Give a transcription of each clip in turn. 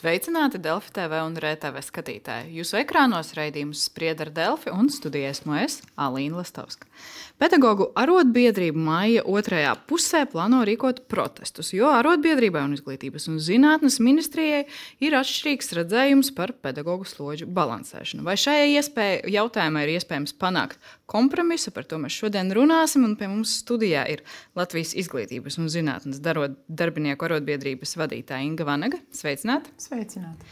Sveicināti Delfi TV un RTV skatītāji. Jūsu ekrānos raidījums Sprieda ar Delfi un studijā esmu es, Alīna Lastovska. Pedagogu arotbiedrību maija otrajā pusē plāno rīkot protestus, jo arotbiedrībai un Izglītības un zinātnes ministrijai ir atšķirīgs redzējums par pedagogu slodžu balansēšanu. Vai šajā jautājumā ir iespējams panākt kompromisu, par to mēs šodien runāsim, un pie mums studijā ir Latvijas Izglītības un zinātnes darbinieku arotbiedrības vadītāja Inga Vanaga. Sveicināti! Sveicināti!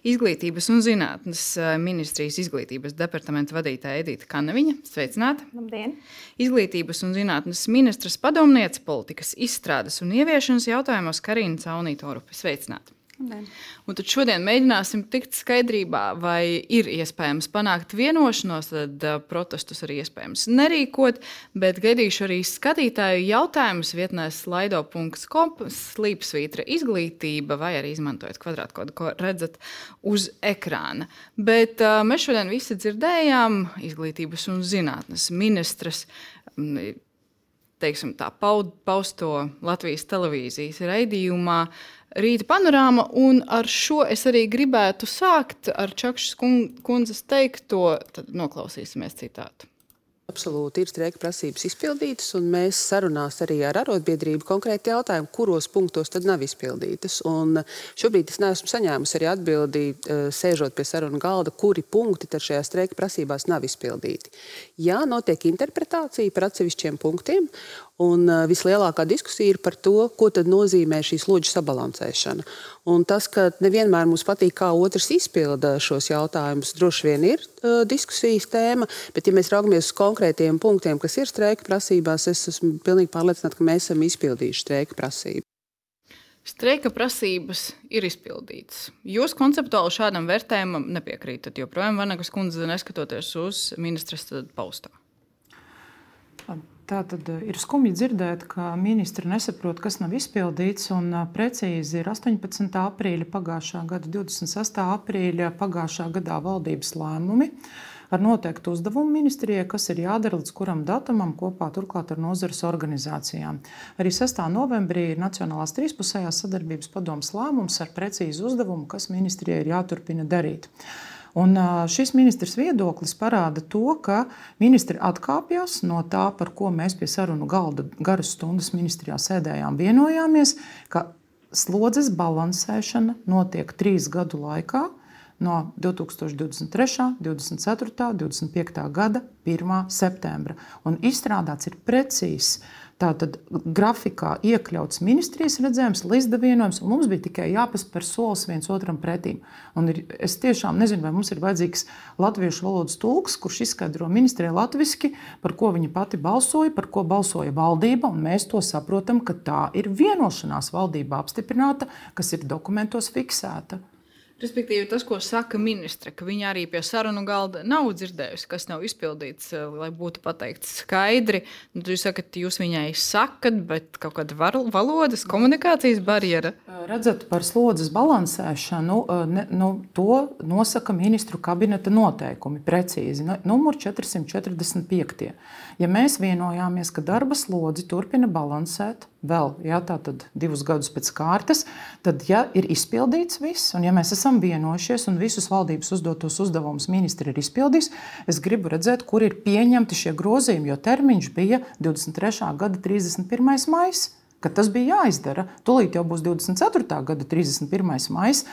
Izglītības un zinātnes ministrijas izglītības departamenta vadītāja Edita Kannaviņa. Sveicināti! Labdien! Izglītības un zinātnes ministras padomniece politikas izstrādes un ieviešanas jautājumos Karina Caunīte-Orupe. Sveicināti! Labdien. Un tad šodien mēģināsim tikt skaidrībā, vai ir iespējams panākt vienošanos, tad protestus arī iespējams nerīkot, bet gaidīšu arī skatītāju jautājumus vietnē slido.com slīpsvītra izglītība vai arī izmantojot kvadrātkodu, ko redzat uz ekrāna. Bet mēs šodien visi dzirdējām Izglītības un zinātnes ministras pausto Latvijas televīzijas raidījumā Rīta panorāma, un ar šo es arī gribētu sākt ar Čakšas kundzes teikto, tad noklausīsimies citātu. Absolūti ir streika prasības izpildītas, un mēs sarunās arī ar arotbiedrību konkrēti jautājumu, kuros punktos tad nav izpildītas. Un šobrīd es neesmu saņēmusi arī atbildi, sēžot pie sarunu galda, kuri punkti tad šajā streika prasībās nav izpildīti. Jā, notiek interpretācija par atsevišķiem punktiem, un vislielākā diskusija ir par to, ko tad nozīmē šī slodžu sabalansēšana. Un tas, ka nevienmēr mums patīk, kā otrs izpilda šos jautājumus, droši vien ir diskusijas tēma, bet ja mēs raugamies uz konkrētiem punktiem, kas ir streika prasībās, es esmu pilnīgi pārliecināta, ka mēs esam izpildījuši streika prasību. Streika prasības ir izpildītas. Jūs konceptuāli šādam vērtējumam nepiekrītat, joprojām Vanagas kundze neskatoties uz ministras paustā. Tātad ir skumji dzirdēt, ka ministri nesaprot, kas nav izpildīts, un precīzi ir 18. aprīļa pagājušā gada, 26. aprīļa pagājušā gadā valdības lēmumi ar noteiktu uzdevumu ministrijai, kas ir jādara līdz kuram datumam kopā turklāt ar nozares organizācijām. Arī 6. novembrī ir Nacionālās trīspusējās sadarbības padomes lēmums ar precīzu uzdevumu, kas ministrijai ir jāturpina darīt. Un šis ministrs viedoklis parāda to, ka ministri atkāpjas no tā, par ko mēs pie sarunu galda garas stundas ministrijā sēdējām, vienojāmies, ka slodzes balansēšana notiek 3 gadu laikā no 2023., 24., 25. gada 1. septembra. Un izstrādāts ir precīzs tātad grafikā iekļauts ministrijas redzējums, līdzda vienojums, un mums bija tikai jāpaspēr solis viens otram pretīm. Un es tiešām nezinu, vai mums ir vajadzīgs latviešu valodas tulks, kurš izskaidro ministrijai latviski, par ko viņa pati balsoja, par ko balsoja valdība, un mēs to saprotam, ka tā ir vienošanās valdībā apstiprināta, kas ir dokumentos fiksēta. Respektīvi, tas, ko saka ministre, ka viņa arī pie sarunu galda nav dzirdējusi, kas nav izpildīts, lai būtu pateikts skaidri. Jūs sakat, jūs viņai sakat, bet kaut kāda valodas, komunikācijas barjera. Redzat, par slodzes balansēšanu, to nosaka ministru kabineta noteikumi precīzi. Numur 445. Ja mēs vienojāmies, ka darba slodzi turpina balansēt vēl, tātad 2 gadus pēc kārtas, tad, ja ir izpildīts viss, un ja mēs esam vienojušies un visus valdības uzdotos uzdevumus ministri ir izpildījis, es gribu redzēt, kur ir pieņemti šie grozījumi, jo termiņš bija 23. gada 31. maijs, kad tas bija jāizdara. Tūlīt jau būs 24. gada 31. maijs,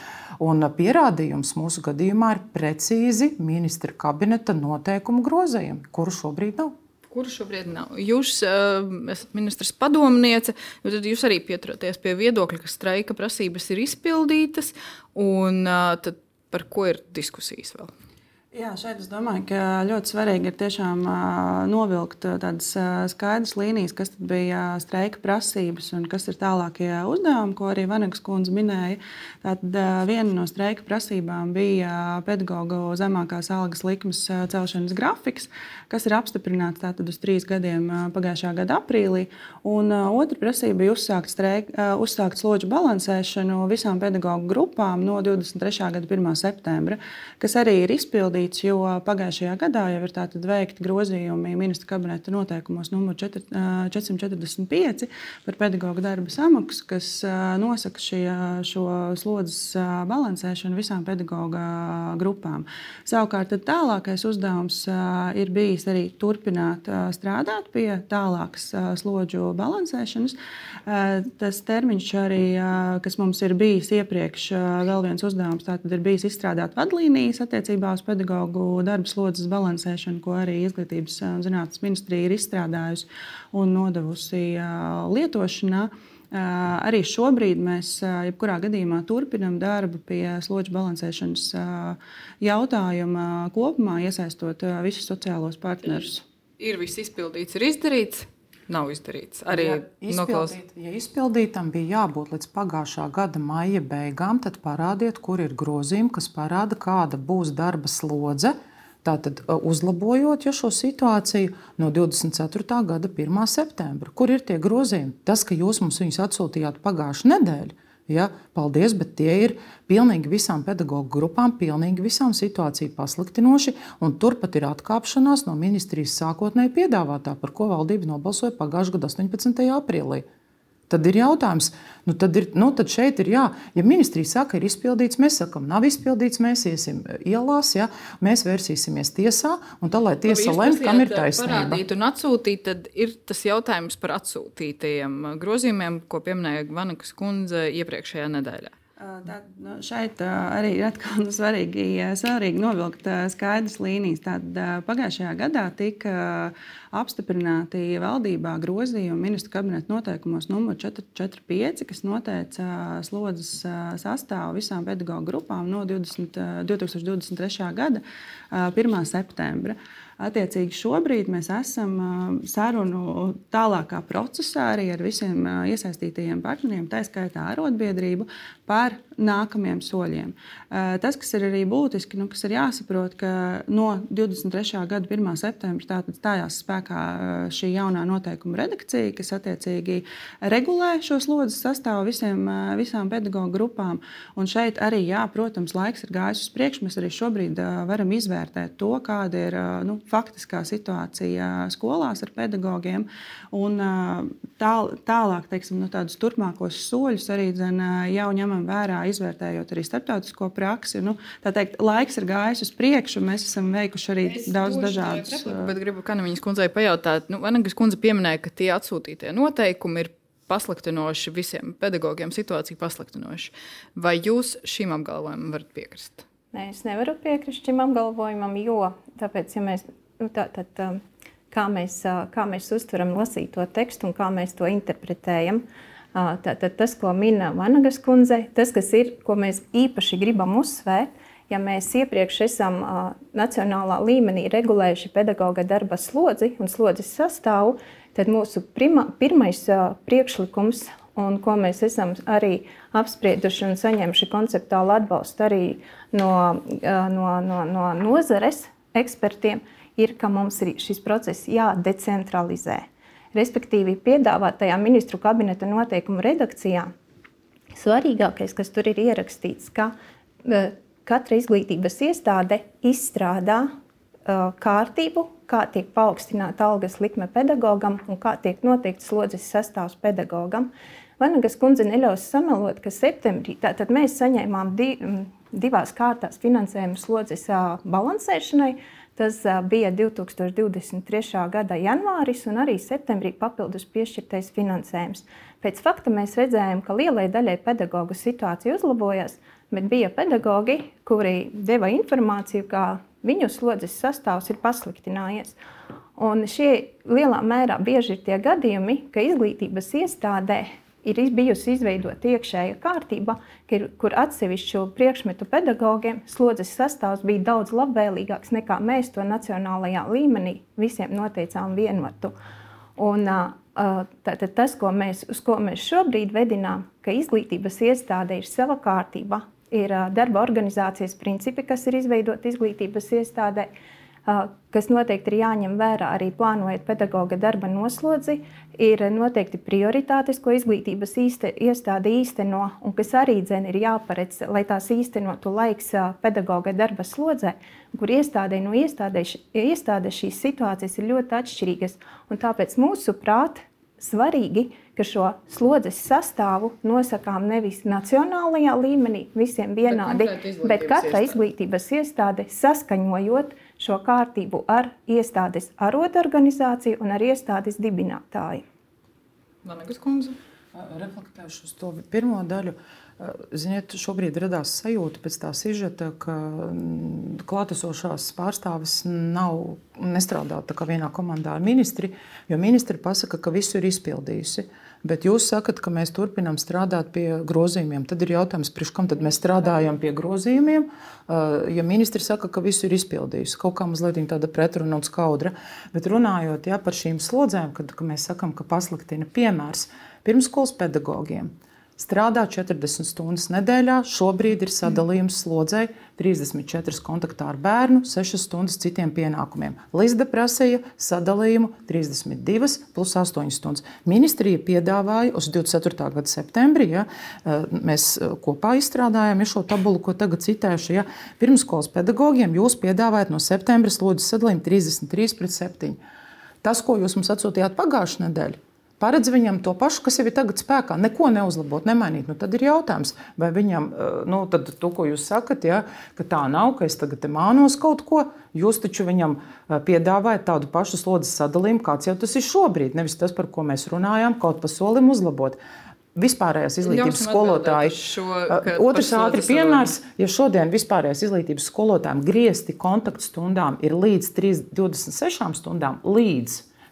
un pierādījums mūsu gadījumā ir precīzi ministra kabineta noteikumu grozījumi, kuru šobrīd nav. Kuru šobrīd nav? Jūs esat ministras padomniece, tad jūs arī pieturaties pie viedokļa, ka streika prasības ir izpildītas, un tad par ko ir diskusijas vēl? Jā, šeit es domāju, ka ļoti svarīgi ir tiešām novilkt tādas skaidras līnijas, kas tad bija streika prasības un kas ir tālākie uzdevumi, ko arī Vanagas kundze minēja. Tātad viena no streika prasībām bija pedagogu zemākās algas likmes celšanas grafiks, kas ir apstiprināts tātad uz 3 gadiem pagājušā gada aprīlī. Un otra prasība bija uzsākt slodžu balansēšanu visām pedagogu grupām no 23. gada 1. septembra, kas arī ir izpildīta. izpildīts, jo pagājušajā gadā jau ir tātad veikti grozījumi ministra kabineta noteikumos numur 445 par pedagoģu darba samaksu, kas nosaka šo slodzes balansēšanu visām pedagoģa grupām. Savukārt tālākais uzdevums ir bijis arī turpināt strādāt pie tālākas slodžu balansēšanas. Tas termiņš arī, kas mums ir bijis iepriekš, vēl viens uzdevums, tātad ir bijis izstrādāt vadlīnijas attiecībā uz pedagoģu darba slodzes balansēšanu, ko arī Izglītības un zinātnes ministrija ir izstrādājusi un nodevusi lietošanā. Arī šobrīd mēs jebkurā gadījumā turpinam darbu pie slodžu balansēšanas jautājuma kopumā, iesaistot visus sociālos partnerus. Ir viss izpildīts, ir izdarīts? Nav izdarīts. Arī izpildītam bija jābūt līdz pagājušā gada maija beigām, tad parādiet, kur ir grozījumi, kas parāda, kāda būs darba slodze. Tātad uzlabojot šo situāciju no 24. gada 1. septembra. Kur ir tie grozījumi? Tas, ka jūs mums viņus atsūtījāt pagājušu nedēļu, ja, paldies, bet tie ir pilnīgi visām pedagoģu grupām, pilnīgi visām situāciju pasliktinoši, un turpat ir atkāpšanās no ministrijas sākotnēji piedāvātā, par ko valdība nobalsoja pagājušā gada 18. aprīlī. Tad ir jautājums, tad šeit ir jā, ja ministrija saka, ir izpildīts, mēs sakam, nav izpildīts, mēs iesim ielās, ja, mēs vērsīsimies tiesā, un tā, lai tiesa lemj, kam ir taisnība. Parādīt un atsūtīt, tad ir tas jautājums par atsūtītajiem grozījumiem, ko pieminēja Vanagas kundze iepriekšējā nedēļā. Šeit arī ir atkal svarīgi novilkt skaidras līnijas. Tad pagājušajā gadā tika apstiprināti valdībā grozījumi ministru kabineta noteikumos numur 445, kas noteica slodzes sastāvu visām pedagoģu grupām no 2023. gada 1. septembra. Attiecīgi šobrīd mēs esam sarunu tālākā procesā arī ar visiem iesaistītajiem partneriem, tā skaitā arotbiedrību, par nākamajiem soļiem. Tas, kas ir arī būtiski, kas ir jāsaprot, ka no 23. gada 1. septembra tātad stājās spēkā šī jaunā noteikuma redakcija, kas attiecīgi regulē šo slodzes sastāvu visām pedagoģu grupām. Un šeit arī, protams, laiks ir gājis uz priekšu. Mēs arī šobrīd varam izvērtēt to, kāda ir faktiskā situācija skolās ar pedagogiem. Un tālāk, teiksim, tādus turpmākos soļus arī jau ņemam vērā, izvērtējot arī starptautisko praksi. Tā teikt, laiks ir gājis uz priekšu, mēs esam veikuši arī daudz dažādus. Bet gribu Kanamiņas kundzei pajautāt, Vanagas kundze pieminēja, ka tie atsūtītie noteikumi ir pasliktinoši visiem pedagogiem, situācija pasliktinoši. Vai jūs šim apgalvojumam varat piekrist? Nē, es nevaru piekrist šim apgalvojumam, jo tāpēc, ja mēs, kā mēs uztveram lasīto tekstu un kā mēs to interpretējam, tad tas, ko min Vanagas kundze, tas, kas ir, ko mēs īpaši gribam uzsvērt, ja mēs iepriekš esam nacionālā līmenī regulējuši pedagoga darba slodzi un slodzes sastāvu, tad mūsu pirmais priekšlikums, un ko mēs esam arī apsprieduši un saņemši konceptuālu atbalstu arī no nozares ekspertiem, ir, ka mums ir šis process jādecentralizē. Respektīvi, piedāvātajā ministru kabineta noteikumu redakcijā svarīgākais, kas tur ir ierakstīts, ka katra izglītības iestāde izstrādā kārtību, kā tiek paaugstināta algas likme pedagogam un kā tiek noteikts slodzes sastāvs pedagogam. Vanagas kundze neļaus samelot, ka septembrī tātad mēs saņēmām divās kārtās finansējumu slodzes balansēšanai. Tas bija 2023. gada janvāris un arī septembrī papildus piešķirtais finansējums. Pēc fakta mēs redzējām, ka lielai daļai pedagogu situācija uzlabojās, bet bija pedagogi, kuri deva informāciju, ka viņu slodzes sastāvs ir pasliktinājies. Un šie lielā mērā bieži ir tie gadījumi, ka izglītības iestādē ir bijusi izveidota iekšēja kārtība, kur atsevišķu priekšmetu pedagogiem slodzes sastāvs bija daudz labvēlīgāks nekā mēs to nacionālajā līmenī visiem noteicām vienmatu. Un tas, uz ko mēs šobrīd vedinām, ka izglītības iestāde ir sava kārtība, ir darba organizācijas principi, kas ir izveidoti izglītības iestādē, kas noteikti ir jāņem vērā arī plānojot pedagoga darba noslodzi, ir noteikti prioritātes, ko izglītības iestāde īsteno, un kas arī ir jāparedz, lai tās īstenotu laiks pedagoga darba slodzē, kur iestādē no iestādes šīs situācijas ir ļoti atšķirīgas. Un tāpēc mūsuprāt svarīgi, ka šo slodzes sastāvu nosakām nevis nacionālajā līmenī visiem vienādi, bet katra izglītības iestāde saskaņojot šo kārtību ar iestādes arotorganizāciju un ar iestādes dibinātāju. Vanegas kundze? Reflektēšu uz to pirmo daļu. Ziniet, šobrīd radās sajūta pēc tā sižeta, ka klātesošās pārstāvis nestrādā tā kā vienā komandā ar ministri, jo ministri pasaka, ka visu ir izpildījusi. Bet jūs sakat, ka mēs turpinām strādāt pie grozījumiem. Tad ir jautājums, priekš kam tad mēs strādājam pie grozījumiem, ja ministri saka, ka visu ir izpildījusi. Kaut kā mazliet tāda pretruna un skaudra. Bet runājot par šīm slodzēm, kad mēs sakam, ka pasliktina piemērs pirmskolas pedagogiem. Strādā 40 stundas nedēļā, šobrīd ir sadalījums slodzei 34 kontaktā ar bērnu, 6 stundas citiem pienākumiem. Lizda prasīja sadalījumu 32 plus 8 stundas. Ministrija piedāvāja uz 24. gada septembrī, mēs kopā izstrādājām šo tabulu, ko tagad citēšu. Pirmskolas pedagogiem jūs piedāvājat no septembra slodzes sadalījumu 33/7. Tas, ko jūs mums atsūtījāt pagājušajā nedēļā, paredz viņam to pašu, kas jau ir tagad spēkā, neko neuzlabot, nemainīt. Tad ir jautājums, vai viņam, tad to, ko jūs sakat, ka tā nav, ka es tagad mānos kaut ko, jūs taču viņam piedāvājat tādu pašu slodzes sadalījumu, kāds jau tas ir šobrīd, nevis tas, par ko mēs runājām, kaut pa solim uzlabot. Vispārējās izglītības skolotāji. Otrs ātri piemērs, ja šodien vispārējās izglītības skolotājiem griezti kontaktstundām ir līdz 26 stundām,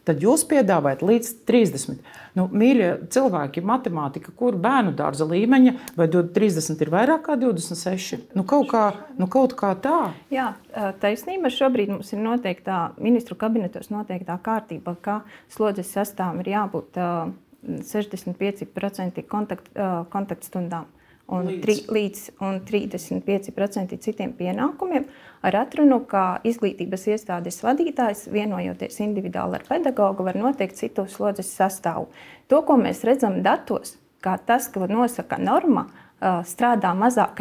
tad jūs piedāvājat līdz 30. Mīļie cilvēki, matemātika, kur bērnu dārza līmeņa, vai 30 ir vairāk kā 26? Kaut kā tā. Jā, taisnība. Šobrīd mums ir noteiktā ministru kabinetos noteiktā kārtība, ka slodzes sastāvam ir jābūt 65% kontaktstundām līdz 35% citiem pienākumiem, ar atrunu, ka izglītības iestādes vadītājs, vienojoties individuāli ar pedagogu, var noteikt citu slodzes sastāvu. To, ko mēs redzam datos, kā tas, ko nosaka norma, strādā mazāk,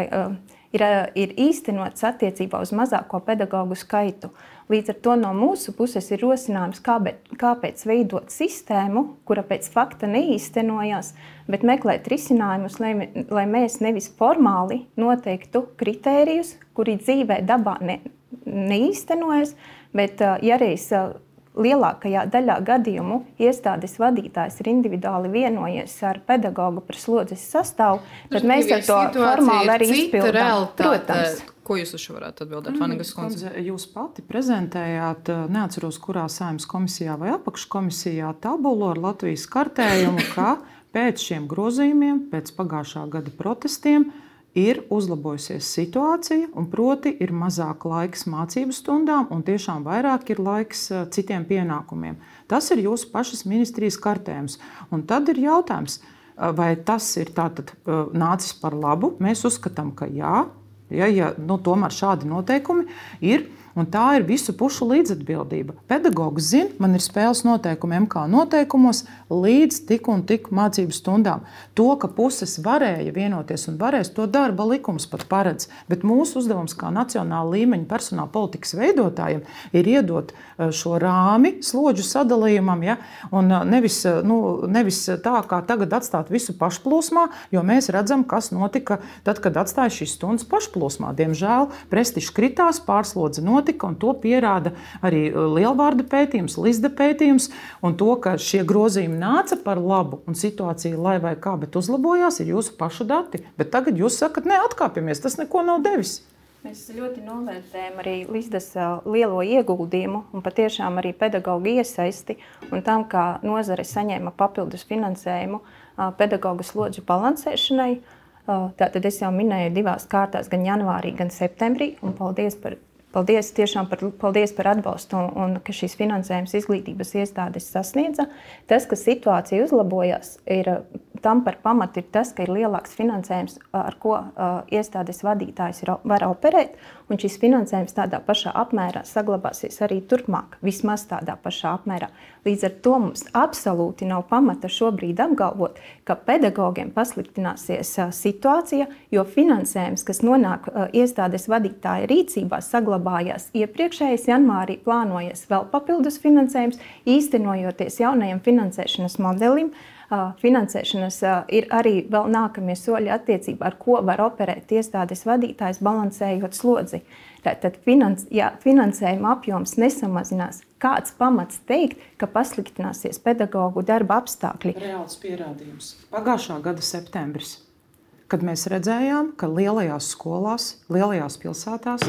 ir īstenots attiecībā uz mazāko pedagogu skaitu. Līdz ar to no mūsu puses ir rosinājums, kāpēc veidot sistēmu, kura pēc fakta neīstenojās, bet meklēt risinājumus, lai mēs nevis formāli noteiktu kritērijus, kuri dzīvē dabā neīstenojas, bet ja reiz lielākajā daļā gadījumu iestādes vadītājs ir individuāli vienojies ar pedagogu par slodzes sastāvu, tad mēs ar to formāli arī izpildām. Protams. Ko jūs uz šo varētu atbildēt, Vanegas kundze? Jūs pati prezentējāt, neatceros, kurā Saeimas komisijā vai apakškomisijā, tabulu ar Latvijas kartējumu, ka pēc šiem grozījumiem, pēc pagājušā gada protestiem, ir uzlabojusies situācija, un proti ir mazāk laiks mācību stundām, un tiešām vairāk ir laiks citiem pienākumiem. Tas ir jūsu pašas ministrijas kartējums. Un tad ir jautājums, vai tas ir tātad nācis par labu? Mēs uzskatām, ka jā. Tomēr šādi noteikumi ir, un tā ir visu pušu līdzatbildība. Pedagogs zina, man ir spēles noteikumi MK noteikumos līdz tik un tik mācību stundām. To, ka puses varēja vienoties un varēs, to darba likums pat paredz. Bet mūsu uzdevums kā nacionāla līmeņa personāla politikas veidotājiem ir iedot šo rāmi slodžu sadalījumam, un nevis tā, kā tagad atstāt visu pašplūsmā, jo mēs redzam, kas notika tad, kad atstāja šīs stundas pašplūsmā. Diemžēl prestižs kritās, pārslodze notika, un to pierāda arī lielvārda pētījums, Lizda pētījums, un to, ka šie grozījumi nāca par labu un situācija lai vai kā, bet uzlabojās, ir jūsu pašu dati. Bet tagad jūs sakat, atkāpjamies, tas neko nav devis. Mēs ļoti novērtējam arī Lizdas lielo ieguldījumu un patiešām arī pedagoģu iesaisti un tam, kā nozare saņēma papildus finansējumu pedagoģu slodžu balansēšanai. Tātad es jau minēju 2 kārtās, gan janvārī, gan septembrī, un paldies par atbalstu un ka šīs finansējums izglītības iestādes sasniedza. Tas, ka situācija uzlabojās, ir tam par pamatu ir tas, ka ir lielāks finansējums, ar ko iestādes vadītājs var operēt, un šis finansējums tādā pašā apmērā saglabāsies arī turpmāk, vismaz tādā pašā apmērā. Līdz ar to mums absolūti nav pamata šobrīd apgalvot, ka pedagogiem pasliktināsies situācija, jo finansējums, kas nonāk iestādes vadītāja rīcībā, saglabājās iepriekšējais janvārī, plānojas vēl papildus finansējums, īstenojoties jaunajam finansēšanas modelim. Finansēšanas ir arī vēl nākamie soļi attiecībā, ar ko var operēt iestādes vadītājs, balansējot slodzi. Tātad finansējuma apjoms nesamazinās. Kāds pamats teikt, ka pasliktināsies pedagogu darba apstākļi? Reāls pierādījums. Pagājušā gada septembris, kad mēs redzējām, ka lielajās skolās, lielajās pilsētās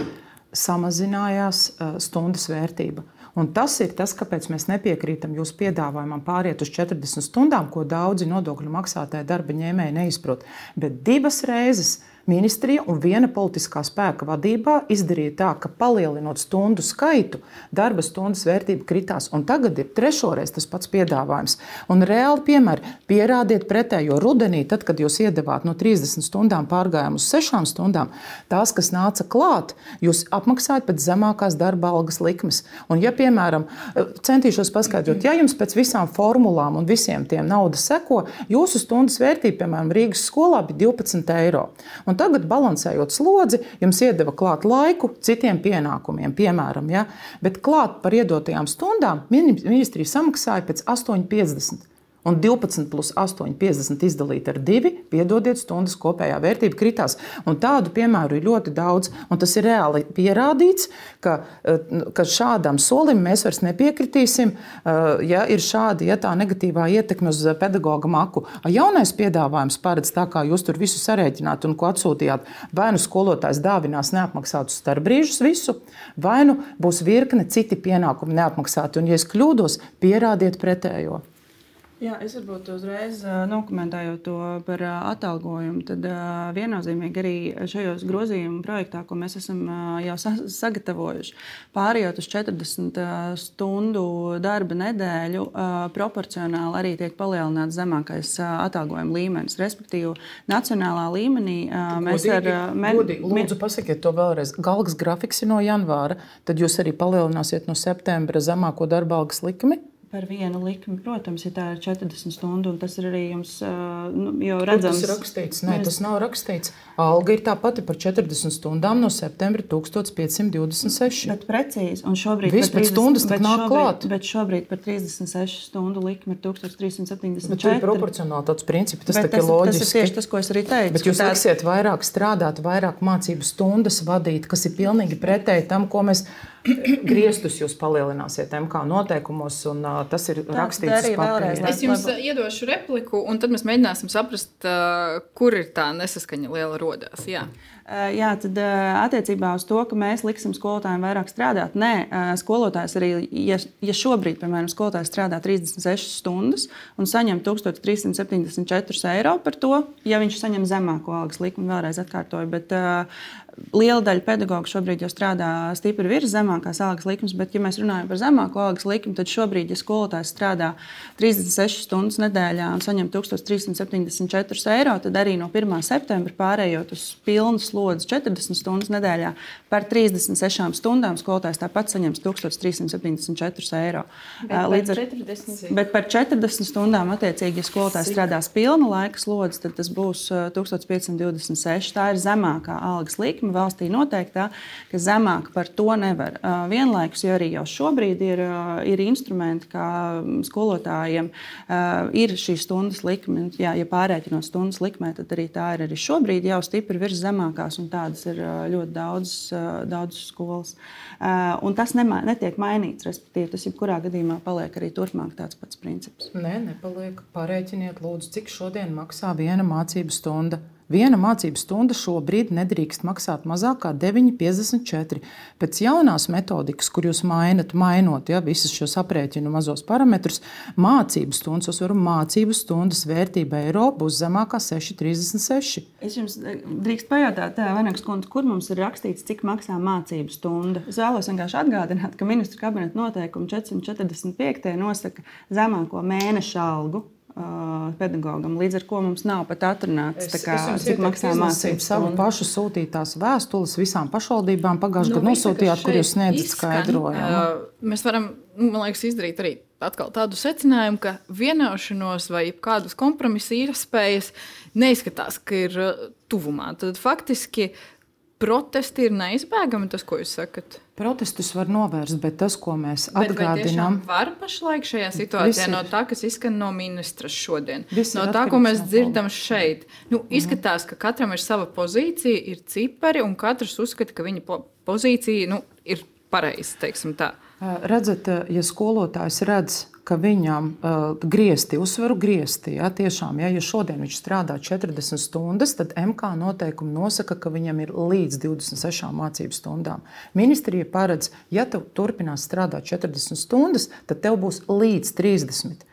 samazinājās stundas vērtība. Un tas ir tas, kāpēc mēs nepiekrītam jūsu piedāvājumam pāriet uz 40 stundām, ko daudzi nodokļu maksātāji darba ņēmēji neizprot. Bet 2 reizes ministrija un viena politiskā spēka vadībā izdarīja tā, ka palielinot stundu skaitu, darba stundas vērtība kritās. Un tagad ir 3. reiz tas pats piedāvājums. Un reāli piemēri, pierādiet pretējo rudenī, tad, kad jūs iedevāt no 30 stundām pārgājām uz 6 stundām, tās, kas nāca klāt, jūs apmaksājat pēc zemākās darba algas likmes. Un ja, piemēram, centīšos paskaidrot, ja jums pēc visām formulām un visiem tiem naudas seko, jūsu stundas vērtība, piemēram, Rīgas skolā bija 12 eiro. Un tagad, balansējot slodzi, jums iedeva klāt laiku citiem pienākumiem, piemēram, ja? Bet klāt par iedotajām stundām ministrija samaksāja pēc 8,50. Un 12 plus 8,50 izdalīt ar 2, piedodiet, stundas kopējā vērtība kritās. Un tādu piemēru ir ļoti daudz. Un tas ir reāli pierādīts, ka šādam solim mēs vairs nepiekritīsim, ja ir šādi, ja tā negatīvā ietekme uz pedagoga maku. Jaunais piedāvājums paredz tā, kā jūs tur visu sarēķināt un ko atsūtījāt. Vai nu skolotājs dāvinās neapmaksātus starpbrīžus visu, vai nu būs virkne citi pienākumi neapmaksāti. Un, ja es kļūdos, pierādiet pretējo. Jā, es varbūt uzreiz nokomentēju to par atalgojumu. Tad viennozīmīgi arī šajos grozījumu projektā, ko mēs esam jau sagatavojuši, pārējot uz 40 stundu darba nedēļu, proporcionāli arī tiek palielināts zemākais atalgojuma līmenis. Respektīvi, nacionālā līmenī mēs Godīgi, lūdzu, pasakiet to vēlreiz. Galgas grafiks ir no janvāra, tad jūs arī palielināsiet no septembra zemāko darba algas likmi? Par vienu likmi, protams, ja tā ir 40 stundu, un tas ir arī jums jau redzams. Tas ir rakstīts? Nē, tas nav rakstīts. Alga ir tā pati par 40 stundām no septembra 1526. Bet precīzi, un šobrīd Viss pēc stundas tak nāk klāt. Bet šobrīd par 36 stundu likmi ir 1374. Bet tur ir proporcionālitātes principi, tas tak ir loģiski. Tas ir tieši tas, ko es arī teicu. Bet jūs liksiet vairāk strādāt, vairāk mācību stundas vadīt, kas ir pilnīgi pretēji tam, ko mēs griestus jūs palielināsiet MK noteikumos, un tas ir rakstīts uz papīra. Es jums iedošu repliku, un tad mēs mēģināsim saprast, kur ir tā nesaskaņa liela rodās. Jā. Jā, tad attiecībā uz to, ka mēs liksim skolotājiem vairāk strādāt, nē, skolotājs arī, ja šobrīd, piemēram, skolotājs strādā 36 stundas un saņem 1374 eiro par to, ja viņš saņem zemāko algas likmi, vēlreiz atkārtoju, bet liela daļa pedagogu šobrīd jau strādā stipri virs zemākās algas likmes, bet, ja mēs runājam par zemāko algas likmi, tad šobrīd, ja skolotājs strādā 36 stundas nedēļā un saņem 1374 eiro, tad arī no 1. septembra pārējot uz pilnu slodzi 40 stundas nedēļā par 36 stundām skolotājs tāpat saņems 1374 eiro. Bet par 40 stundām attiecīgi, ja skolotājs strādās pilnu laika slodzi, tad tas būs 1526. Tā ir zemākā algas likme. Valstī noteiktā, ka zemāk par to nevar. Vienlaikus, jo arī jau šobrīd ir instrumenti, kā skolotājiem ir šī stundas likme. Ja pārēķinot stundas likmē, tad arī tā ir arī šobrīd jau stipri virs zemākās, un tādas ir ļoti daudz skolas. Un tas netiek mainīts, respektīvi, tas jebkurā gadījumā paliek arī turpmāk tāds pats princips. Nē, nepaliek. Pārēķiniet, lūdzu, cik šodien maksā viena mācību stunda. Viena mācību stunda šobrīd nedrīkst maksāt mazāk kā 9,54. Pēc jaunās metodikas, kur jūs mainot visus šos aprēķinu mazos parametrus, mācību stundas vērtība eiro būs zemākā 6,36. Es jums drīkst pajautāt, Vainags kundze, kur mums ir rakstīts, cik maksā mācību stunda? Es vēlos vienkārši atgādināt, ka ministru kabineta noteikumi 445. nosaka zemāko mēneša algu. pedagogam. Līdz ar to mums nav pat atrunāts, cik maksā mācības. Savu pašu sūtītās vēstules visām pašvaldībām pagājušajā gadā nosūtījāt, kur jūs sniedzat skaidrojumu. Mēs varam, man liekas, izdarīt arī atkal tādu secinājumu, ka vienošanos vai kādas kompromisa iespējas neizskatās, ka ir tuvumā. Tad faktiski protesti ir neizbēgami, tas, ko jūs sakat? Protestus var novērst, bet tas, ko mēs atgādinām, var pašlaik šajā situācijā no tā, kas izskan no ministra šodien, no tā, ko mēs dzirdam šeit. Izskatās, ka katram ir sava pozīcija, ir cipari, un katrs uzskata, ka viņa pozīcija ir pareiza, teiksim tā. Redzat, ja skolotājs redz, ka viņam griezti, uzsveru griezti, tiešām, ja šodien viņš strādā 40 stundas, tad MK noteikumi nosaka, ka viņam ir līdz 26 mācību stundām. Ministrija paredz, ja tu turpinās strādāt 40 stundas, tad tev būs līdz 30.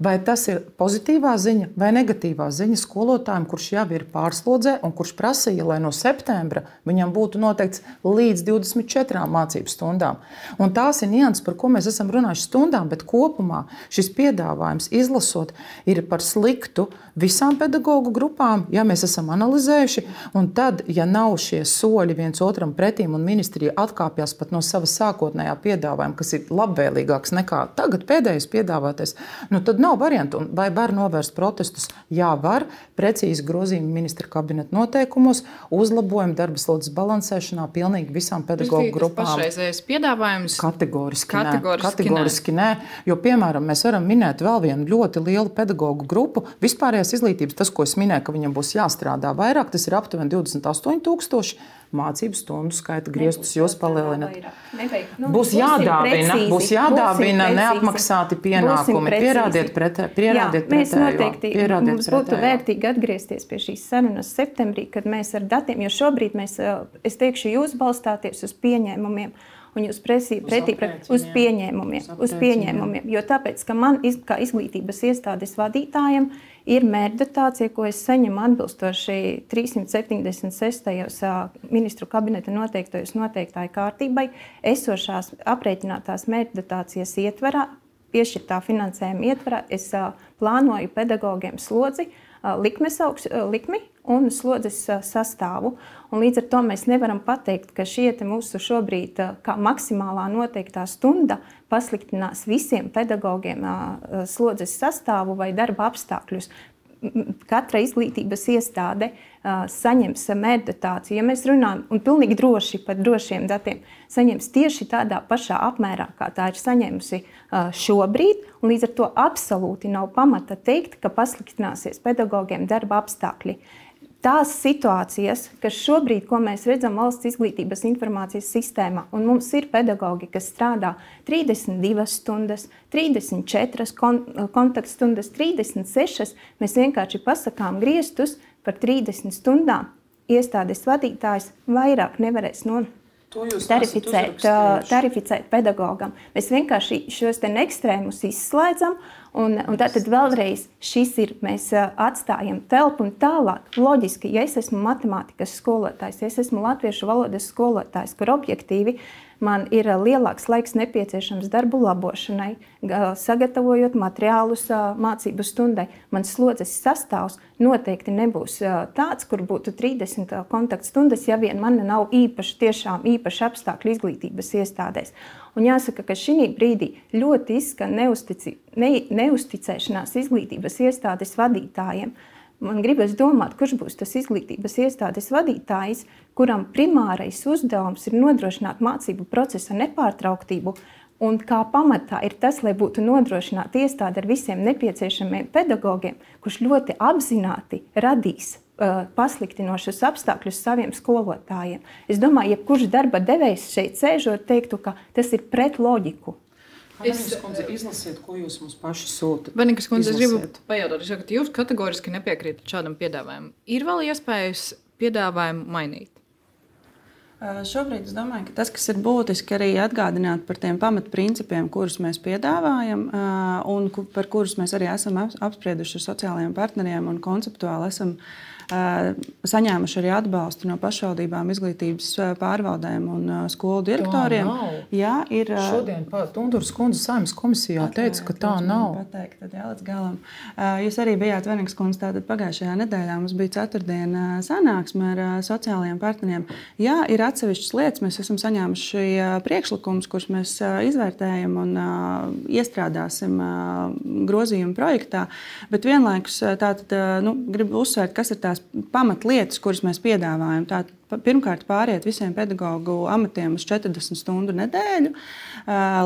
Vai tas ir pozitīvā ziņa vai negatīvā ziņa skolotājiem, kurš jau ir pārslodzē un kurš prasīja, lai no septembra viņam būtu noteikts līdz 24 mācību stundām. Un tās ir nianses, par ko mēs esam runājuši stundām, bet kopumā šis piedāvājums izlasot ir par sliktu visām pedagoģu grupām, ja mēs esam analizējuši. Un tad, ja nav šie soļi viens otram pretīm un ministrija atkāpjas pat no sava sākotnējā piedāvājuma, kas ir labvēlīgāks nekā tagad pēdējais piedāvātais, tad nav variantu. Vai var novērst protestus? Jā, var. Precīzi grozījumi ministra kabineta noteikumos, uzlabojumi darba slodzes balansēšanā pilnīgi visām pedagoģu grupām. Tas pašreizējais piedāvājums? Kategoriski nē. Jo, piemēram, mēs varam minēt vēl vienu ļoti lielu pedagoģu grupu. Vispārējās izglītības, tas, ko es minēju, ka viņam būs jāstrādā vairāk, tas ir aptuveni 28,000. Mācību stundu skaita griestus jūs palielināt. Būs jādāvina neapmaksāti pienākumi. Pierādiet pretējo. Mēs noteikti mums būtu vērtīgi atgriezties pie šīs sarunas septembrī, kad mēs ar datiem, jo šobrīd es teikšu, jūs balstāties uz pieņēmumiem. Un jūs pretī uz pieņēmumiem. Jo tāpēc, ka man kā izglītības iestādes vadītājiem ir mērķdotācija, ko es saņemu atbilstoši 376. Ministru kabineta noteiktāju kārtībai, esošās aprēķinātās mērķdotācijas ietverā, piešķirtā finansējuma ietverā, es plānoju pedagogiem slodzi, likmi un slodzes sastāvu. Un līdz ar to mēs nevaram pateikt, ka šie mūsu šobrīd kā maksimālā noteiktā stunda pasliktinās visiem pedagogiem slodzes sastāvu vai darba apstākļus. Katra izglītības iestāde saņems mērķdotāciju. Ja mēs runājam, un pilnīgi droši par drošiem datiem, saņems tieši tādā pašā apmērā, kā tā ir saņēmusi šobrīd, un līdz ar to absolūti nav pamata teikt, ka pasliktināsies pedagogiem darba apstākļi. Tās situācijas, kas šobrīd, ko mēs redzam valsts izglītības informācijas sistēmā, un mums ir pedagogi, kas strādā 32 stundas, 34 kontaktstundas, 36, mēs vienkārši pasakām griestus par 30 stundām. Iestādes vadītājs vairāk nevarēs tarificēt pedagogam. Mēs vienkārši šos ekstrēmus izslēdzam, un tad vēlreiz mēs atstājam telpu un tālāk. Loģiski, ja es esmu matemātikas skolotājs, ja es esmu latviešu valodas skolotājs, kur objektīvi man ir lielāks laiks nepieciešams darbu labošanai, sagatavojot materiālus mācību stundai, mans slodzes sastāvs noteikti nebūs tāds, kur būtu 30 kontaktstundas, ja vien man nav īpaši apstākļi izglītības iestādēs. Un jāsaka, ka šī brīdī ļoti izskan neusticēšanās izglītības iestādes vadītājiem. Man gribas domāt, kurš būs tas izglītības iestādes vadītājs, kuram primārais uzdevums ir nodrošināt mācību procesa nepārtrauktību, un kā pamatā ir tas, lai būtu nodrošināta iestāde ar visiem nepieciešamiem pedagogiem, kurš ļoti apzināti radīs pasliktinošus apstākļus saviem skolotājiem. Es domāju, jebkurš darba devējs šeit sēžot teiktu, ka tas ir pret loģiku. Izlasiet, ko jūs mums paši sūtat. Vanikas kundze, es gribu pajautāt, ka jūs kategoriski nepiekrītat šādam piedāvājumam. Ir vēl iespējas piedāvājumu mainīt? Šobrīd es domāju, ka tas, kas ir būtiski arī atgādināt par tiem pamatprincipiem, kurus mēs piedāvājam un par kurus mēs arī esam apsprieduši ar sociālajiem partneriem un konceptuāli esam saņēmuši arī atbalstu no pašvaldībām, izglītības pārvaldēm un skolu direktoriem. Jā, ir. Šodien Tunduras kundze Saeimas komisijā teica, ka tā nav. Pateikt, tad jā, līdz galam. Jūs arī bijāt Venīgas kundze, tātad pagājušajā nedēļā mums bija ceturtdiena sanāksme ar sociālajiem partneriem. Jā, ir atsevišķas lietas, mēs esam saņēmuši priekšlikumus, kurus mēs izvērtējam un iestrādāsim grozījumu projektā, bet vienlaikus tātad, gribu uzsvērt, kas ir tās pamatlietas, kuras mēs piedāvājam. Tātad, pirmkārt, pāriet visiem pedagoģu amatiem uz 40 stundu nedēļu,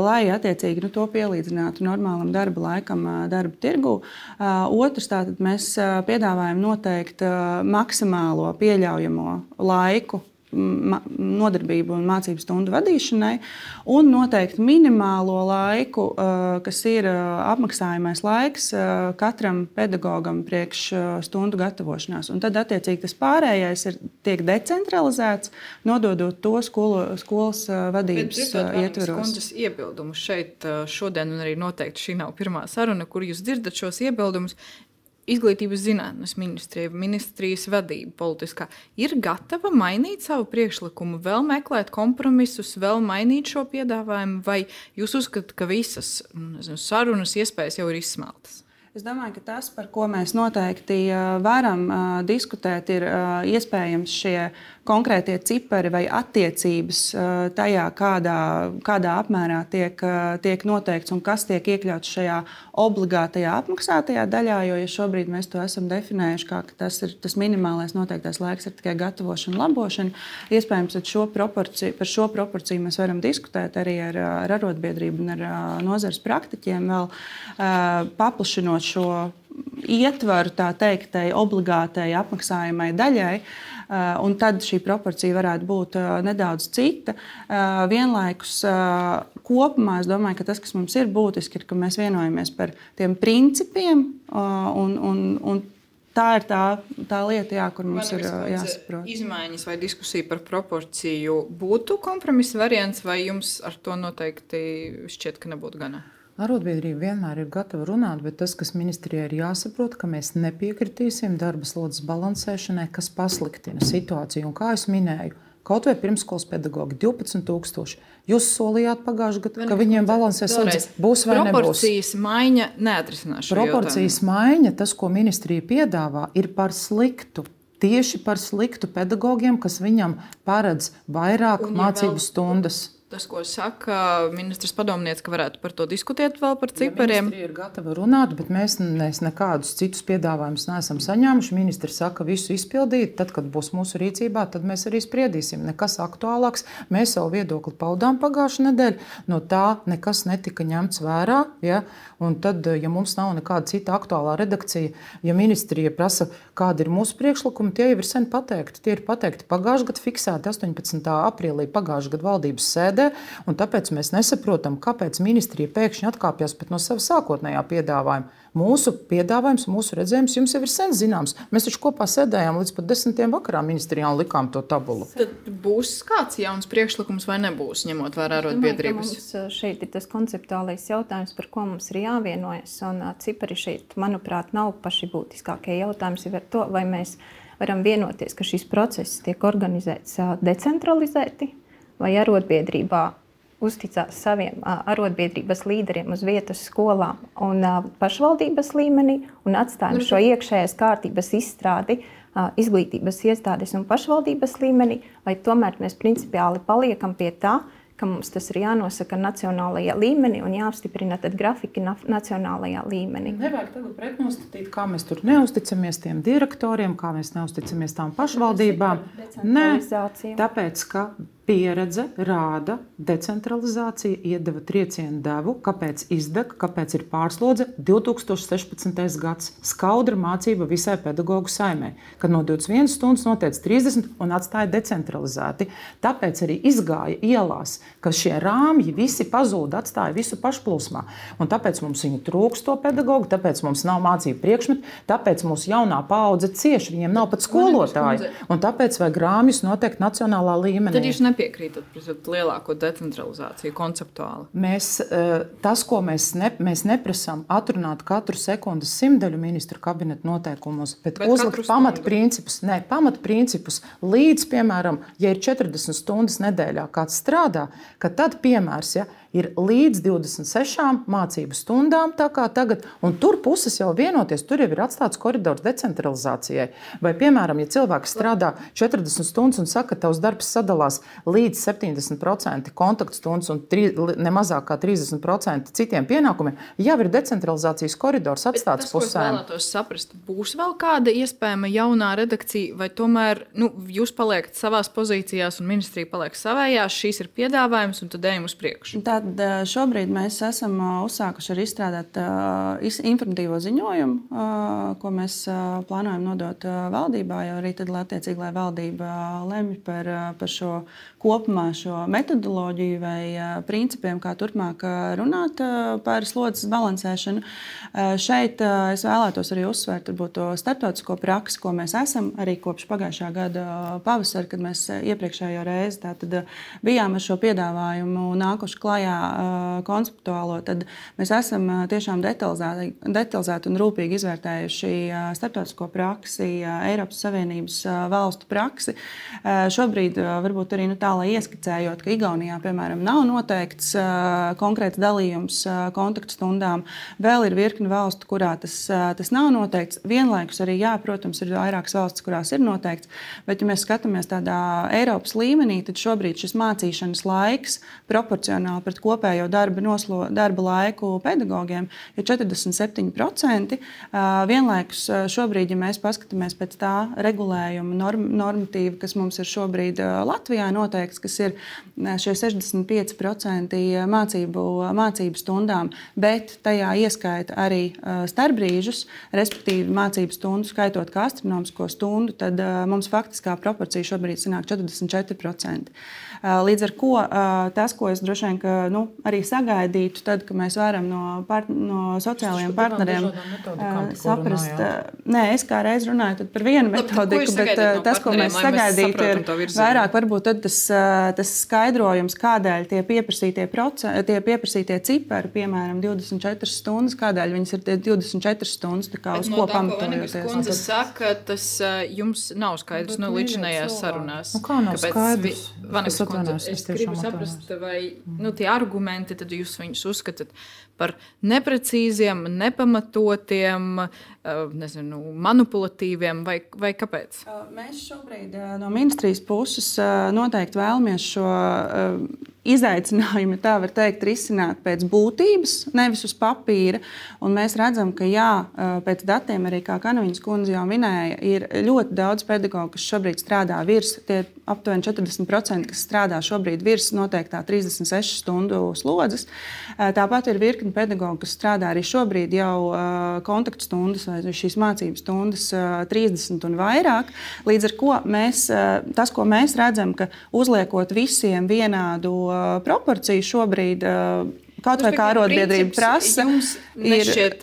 lai attiecīgi to pielīdzinātu normālam darba laikam darba tirgu. Otrs, tātad mēs piedāvājam noteikt maksimālo pieļaujamo laiku nodarbību un mācību stundu vadīšanai, un noteikti minimālo laiku, kas ir apmaksājamais laiks katram pedagogam priekš stundu gatavošanās. Un tad, attiecīgi, tas pārējais tiek decentralizēts, nododot to skolas vadības ietveros. Kundzes iebildumus šeit šodien, un arī noteikti šī nav pirmā saruna, kur jūs dzirdat šos iebildumus. Izglītības zinātnes ministrijas vadība politiskā ir gatava mainīt savu priekšlikumu, vēl meklēt kompromisus, vēl mainīt šo piedāvājumu, vai jūs uzskatāt, ka visas sarunas iespējas jau ir izsmeltas? Es domāju, ka tas, par ko mēs noteikti varam diskutēt, ir iespējams šie konkrētie cipari vai attiecības tajā, kādā apmērā tiek noteikts un kas tiek iekļauts šajā obligātajā apmaksātajā daļā, jo ja šobrīd mēs to esam definējuši, ka tas minimālais noteiktais laiks ir tikai gatavošana, labošana. Iespējams, par šo proporciju mēs varam diskutēt arī ar arotbiedrību un ar nozares praktiķiem, vēl paplašinot šo ietvaru, tā teiktai, obligātai apmaksājamai daļai, un tad šī proporcija varētu būt nedaudz cita. Vienlaikus kopumā es domāju, ka tas, kas mums ir būtiski, ir, ka mēs vienojamies par tiem principiem, un tā ir tā lieta, kur mums ir jāsaprot. Izmaiņas vai diskusija par proporciju būtu kompromisa variants, vai jums ar to noteikti šķiet, ka nebūtu gana? Arotbiedrība vienmēr ir gatava runāt, bet tas, kas ministrijai ir jāsaprot, ka mēs nepiekritīsim darba slodzes balansēšanai, kas pasliktina situāciju. Un kā es minēju, kaut vai pirmskolas pedagogi 12,000. Jūs solījāt pagājušajā gadā, ka viņiem balansē slodzes. Būs vai nebūs? Proporcijas maiņa neatrisinās šo jautājumu. Proporcijas maiņa, tas, ko ministrija piedāvā, ir par sliktu. Tieši par sliktu pedagogiem, kas viņam paredz vairāk mācību stundas. Tas, ko saka ministrs padomniece, ka varētu par to diskutēt vēl par cipariem. Ministrija ir gatava runāt, bet mēs nekādus citus piedāvājumus neesam saņēmuši. Ministrs saka, visu izpildīt, tad, kad būs mūsu rīcībā, tad mēs arī spriedīsim. Nekas aktuālāks. Mēs savu viedokli paudām pagājušajā nedēļā. No tā nekas netika ņemts vērā. Ja? Un tad, ja mums nav nekāda cita aktuālā redakcija, ja ministrija prasa, kāda ir mūsu priekšlikumi, tie jau ir sen pateikti. Tie ir pateikti pagājušajā gadā, fiksēti 18. aprīlī pagājušajā gada valdības sēdē. Un tāpēc mēs nesaprotam, kāpēc ministrija pēkšņi atkāpjas no sava sākotnējā piedāvājuma. Mūsu piedāvājums, mūsu redzējums jums jau ir sen zināms. Mēs taču kopā sēdējām līdz pat 10. vakarā ministrijā un likām to tabulu. Tad būs kāds jauns priekšlikums vai nebūs, ņemot vērā arotbiedrības? Šeit ir tas konceptuālais jautājums, par ko mums ir jāvienojas. Un cipari šeit, manuprāt, nav paši būtiskākie jautājums ir ar to, vai mēs varam vienoties, ka šis process tiek organizēts decentralizēti, vai arotbiedrībā uzticās saviem arotbiedrības līderiem uz vietas skolām un pašvaldības līmenī un atstājam šo iekšējās kārtības izstrādi izglītības iestādes un pašvaldības līmenī, vai tomēr mēs principiāli paliekam pie tā, ka mums tas ir jānosaka nacionālajā līmenī un jāapstiprina tad grafiki nacionālajā līmenī. Nevajag tagad pretnostatīt, kā mēs tur neusticamies tiem direktoriem, kā mēs neusticamies tām pašvaldībām. Nē, tāpēc, ka pieredze rāda, decentralizācija iedeva triecienu devu, kāpēc izdeg, kāpēc ir pārslodze 2016. gads. Skaudra mācība visai pedagoģu saimē, kad no 21 stundas noteica 30 un atstāja decentralizēti. Tāpēc arī izgāja ielās, ka šie rāmji visi pazūda, atstāja visu pašplūsmā. Un tāpēc mums viņu trūkst to pedagoģu, tāpēc mums nav mācību priekšmetu, tāpēc mūsu jaunā paudze cieši, viņiem nav pat skolotāji. Un tāpēc vajag rāmjus noteikt nacionālā līmenī. nepiekrītat pret lielāko decentralizāciju konceptuāli? Tas, ko mēs neprasām, atrunāt katru sekundes simtdaļu ministru kabineta noteikumos, bet uzlikt pamatprincipus līdz, piemēram, ja ir 40 stundas nedēļā kāds strādā, ka tad piemērs, ir līdz 26 mācību stundām, tā kā tagad, un tur puses jau vienoties, tur jau ir atstāts koridors decentralizācijai. Vai, piemēram, ja cilvēks strādā 40 stundas un saka, ka tavs darbs sadalās līdz 70% kontaktstundas un ne mazāk kā 30% citiem pienākumiem, jau ir decentralizācijas koridors atstāts pusēm. Es vēlētos saprast, būs vēl kāda iespējama jaunā redakcija, vai tomēr jūs paliekat savās pozīcijās un ministrija paliek savējās, šīs ir piedāvājums un tad ejam uz priekšu? Tad šobrīd mēs esam uzsākuši arī izstrādāt informatīvo ziņojumu, ko mēs plānojam nodot valdībā, jo arī tad, lai valdība lemj par šo kopumā šo metodoloģiju vai principiem, kā turpmāk runāt par slodzes balansēšanu. Šeit es vēlētos arī uzsvērt to starptautisko praksi, ko mēs esam arī kopš pagājušā gada pavasara, kad mēs iepriekšējo reizi bijām ar šo piedāvājumu nākuši klajā konceptuālo, tad mēs esam tiešām detalizēti un rūpīgi izvērtējuši starptautisko praksi, Eiropas Savienības valstu praksi. Šobrīd varbūt arī tā, lai ieskicējot, ka Igaunijā, piemēram, nav noteikts konkrēts dalījums kontaktstundām. Vēl ir virkni valstu, kurā tas nav noteikts. Vienlaikus arī, protams, ir vairākas valstis, kurās ir noteikts, bet, ja mēs skatāmies tādā Eiropas līmenī, tad šobrīd šis mācīšanas laiks proporcionāli pret kopējo darba laiku pedagogiem ir 47%. Vienlaikus šobrīd, ja mēs paskatāmies pēc tā regulējuma normatīva, kas mums ir šobrīd Latvijā noteikts, kas ir šie 65% mācību stundām, bet tajā ieskaita arī starpbrīžus, respektīvi mācību stundu skaitot kā astronomisko stundu, tad mums faktiskā proporcija šobrīd sanāk 44%. Līdz ar ko tas, ko es droši vien arī sagaidītu, tad, kad mēs varam no sociālajiem partneriem saprast. Nē, es kā reiz runāju par vienu metodiku, bet tas, ko mēs sagaidītu, ir vairāk varbūt tas skaidrojums, kādēļ tie pieprasītie cipari, piemēram, 24 stundas, kādēļ viņas ir 24 stundas, tā kā uz ko pamatojoties. Kundze saka, tas jums nav skaidrs līdzinājās sarunās. Kā nav skaidrs? Es gribu saprast, vai tie argumenti, tad jūs viņus uzskatāt par neprecīziem, nepamatotiem, manipulatīviem, vai kāpēc? Mēs šobrīd no ministrijas puses noteikti vēlamies šo izaicinājumu, tā var teikt, risināt pēc būtības, nevis uz papīra. Un mēs redzam, ka pēc datiem, arī kā Kanaviņas kundze jau minēja, ir ļoti daudz pedagogu, kas šobrīd strādā virs, tie aptuveni 40%, kas strādā šobrīd virs noteiktā 36 stundu slodzes. Tāpat ir virkni pedagogu, kas strādā arī šobrīd jau kontaktstundas vai šīs mācības stundas 30 un vairāk. Līdz ar ko tas, ko mēs redzam, ka uzliekot visiem vienādu proporciju šobrīd, kaut vai kā arotbiedrība prasa, ir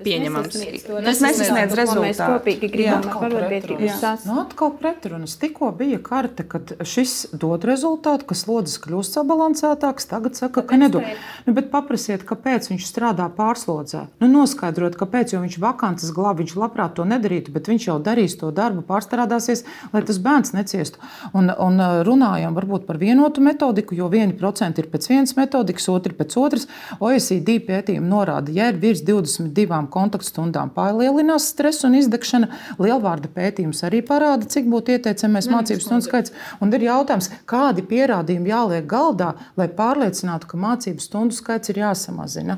pieņemams. Tas nesasniedz rezultātu. Mēs kopīgi gribam ar arotbiedrības sasniegt. Atkal pretrunas. Tikko bija karte, kad šis dod rezultātu, ka slodzes kļūst sabalansētāks, tagad saka, ka nedod. Bet paprasiet, kāpēc viņš strādā pārslodzē. Noskaidrot, kāpēc, jo viņš vakantas glāb, viņš labprāt to nedarītu, bet viņš jau darīs to darbu, pārstrādāsies, lai tas bērns neciestu. Un runājam varbūt par vienotu metodiku, jo 1% ir pēc vienas metodikas, otri pēc otras. OECD pētījumi norāda, ja ir virs 22 kontaktstundām palielinās stress un izdegšana. Lielvārda pētījums arī parāda, cik būtu ieteicamais mācību stundu skaits. Un ir jautājums, kādi pierādījumi jāliek galdā, lai pārliecinātu, ka mācību stundu skaits ir jāsamazina.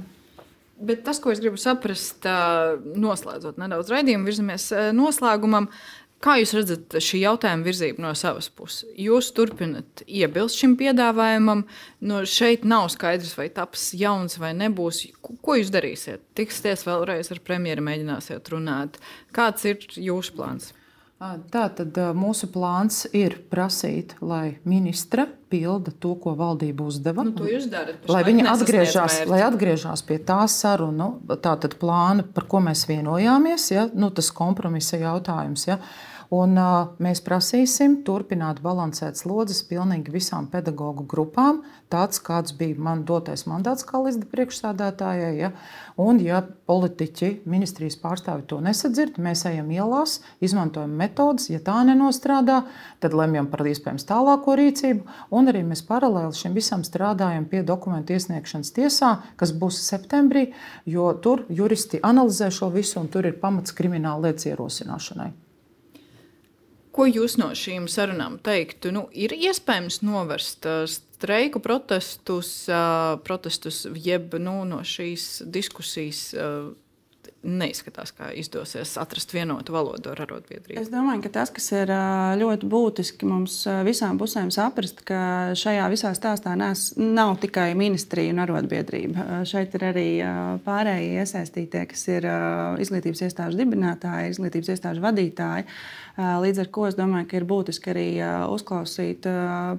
Bet tas, ko es gribu saprast, noslēdzot nedaudz raidījumu, virzamies noslēgumam. Kā jūs redzat šī jautājuma virzību no savas puses? Jūs turpināt iebilst šim piedāvājumam, šeit nav skaidrs, vai taps jauns vai nebūs. Ko jūs darīsiet? Tiksieties vēlreiz ar premjeru, mēģināsiet runāt. Kāds ir jūsu plāns? Tātad mūsu plāns ir prasīt, lai ministra pilda to, ko valdība uzdeva. To jūs darat. Lai viņi atgriežās pie tā sarunu, tātad plāna, par ko mēs vienojāmies, tas kompromisa jautājums. Un, mēs prasīsim turpināt balansēt slodzes pilnīgi visām pedagoģu grupām, tāds, kāds bija man dotais mandāts kā līdz priekšsādātājai. Ja? Un, ja politiķi, ministrijas pārstāvi to nesadzird, mēs ejam ielās, izmantojam metodas, ja tā nenostrādā, tad lemjam par iespējams tālāko rīcību. Un arī mēs paralēli šim visam strādājam pie dokumentu iesniegšanas tiesā, kas būs septembrī, jo tur juristi analizē šo visu un tur ir pamats krimināla lietas ierosināšanai. Ko jūs no šīm sarunām teiktu? Ir iespējams novērst streiku protestus, jeb no šīs diskusijas neizskatās, kā izdosies atrast vienotu valodu ar arotbiedrību? Es domāju, ka tas, kas ir ļoti būtiski mums visām pusēm saprast, ka šajā visā stāstā nav tikai ministrija un arotbiedrība. Šeit ir arī pārējie iesaistītie, kas ir izglītības iestāžu dibinātāji, izglītības iestāžu vadītāji. Līdz ar ko es domāju, ka ir būtiski arī uzklausīt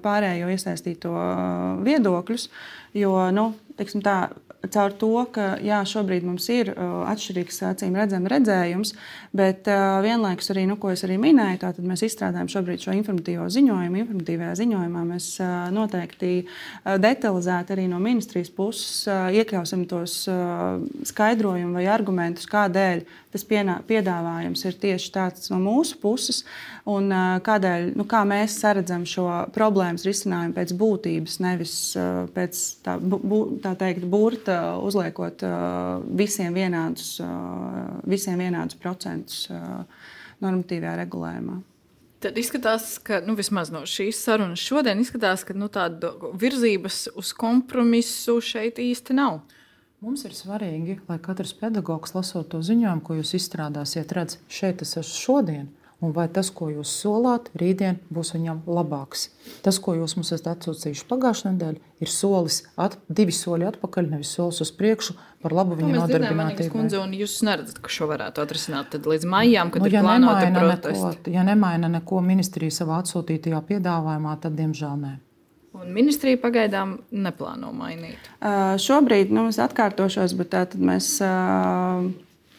pārējo iesaistīto viedokļus, jo, teiksim tā, caur to, ka jā, šobrīd mums ir atšķirīgs acīm redzams redzējums, bet vienlaikus arī, ko es arī minēju, tātad mēs izstrādājam šobrīd šo informatīvo ziņojumu. Informatīvajā ziņojumā mēs noteikti detalizēti arī no ministrijas puses iekļausim tos skaidrojumus vai argumentus, kādēļ tas piedāvājums ir tieši tāds no mūsu puses un kādēļ, kā mēs saredzam šo problēmas risinājumu pēc būtības, nevis pēc tā teikt burta uzliekot visiem vienādus procentus normatīvajā regulējumā. Tad izskatās, ka vismaz no šīs sarunas šodien izskatās, ka tāda virzības uz kompromisu šeit īsti nav. Mums ir svarīgi, lai katrs pedagogs, lasot to ziņojumu, ko jūs izstrādāsiet, redz, šeit es esmu šodien, un vai tas, ko jūs solāt, rītdien būs viņam labāks. Tas, ko jūs mums esat atsūtījuši pagājušajā nedēļā, ir divi soļi atpakaļ, nevis solis uz priekšu par labu viņa nodarbinātībai. Un jūs neredzat, ka šo varētu atrisināt tad līdz maijām, kad ir plānota protesti? Ja nemaina neko ministrija savā atsūtītajā piedāvājumā, tad diemžēl nē. Un ministrija pagaidām neplāno mainīt? Šobrīd, es atkārtošos, bet tātad mēs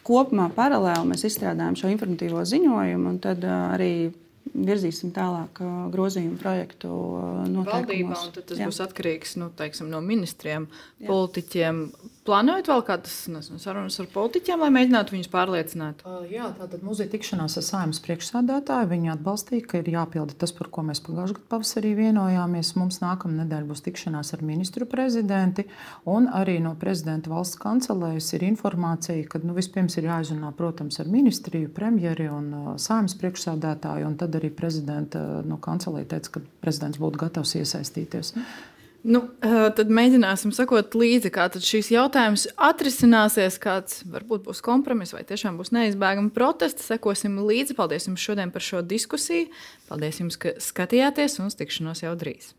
kopumā paralēli mēs izstrādājam šo informatīvo ziņojumu un tad arī virzīsim tālāk grozījumu projektu noteikumos. Valdībā, un tad tas būs atkarīgs no ministriem, politiķiem. Plānojat vēl kādas sarunas ar politiķiem, lai mēģinātu viņus pārliecināt? Jā, tātad mums ir tikšanās ar Saeimas priekšsēdētāju. Viņi atbalstīja, ka ir jāpilda tas, par ko mēs pagājušajā gadā pavasarī vienojāmies. Mums nākamā nedēļa būs tikšanās ar ministru prezidenti un arī no prezidenta valsts kancelējas ir informācija, ka vispirms ir jāizrunā, protams, ar ministriju, premjeri un Saeimas priekšsēdētāju, un tad arī prezidenta kancelēja teica, ka prezidents būtu gatavs iesaistīties. Tad mēģināsim sekot līdzi, kā šīs jautājums atrisināsies, kāds varbūt būs kompromiss vai tiešām būs neizbēgami protesti. Sekosim līdzi. Paldies jums šodien par šo diskusiju. Paldies jums, ka skatījāties un uz tikšanos jau drīz.